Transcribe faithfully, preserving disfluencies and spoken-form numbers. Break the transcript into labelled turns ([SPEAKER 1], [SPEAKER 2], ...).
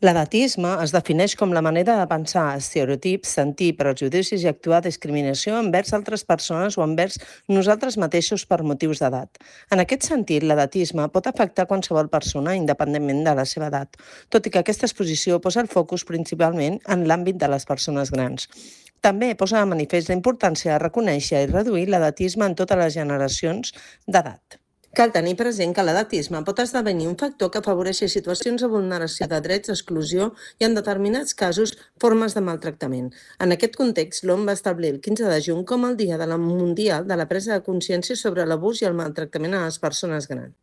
[SPEAKER 1] L'edatisme es defineix com la manera de pensar estereotips, sentir prejudicis i actuar discriminació envers altres persones o envers nosaltres mateixos per motius d'edat. En aquest sentit, l'edatisme pot afectar qualsevol persona independentment de la seva edat, tot i que aquesta exposició posa el focus principalment en l'àmbit de les persones grans. També posa de manifest la importància de reconèixer i reduir l'edatisme en totes les generacions d'edat. Cal tenir present que l'edatisme pot esdevenir un factor que afavoreixi situacions de vulneració de drets, exclusió i, en determinats casos, formes de maltractament. En aquest context, l'O M va establir el quinze de juny com el Dia de la Mundial de la Presa de Consciència sobre l'abús i el maltractament a les persones grans.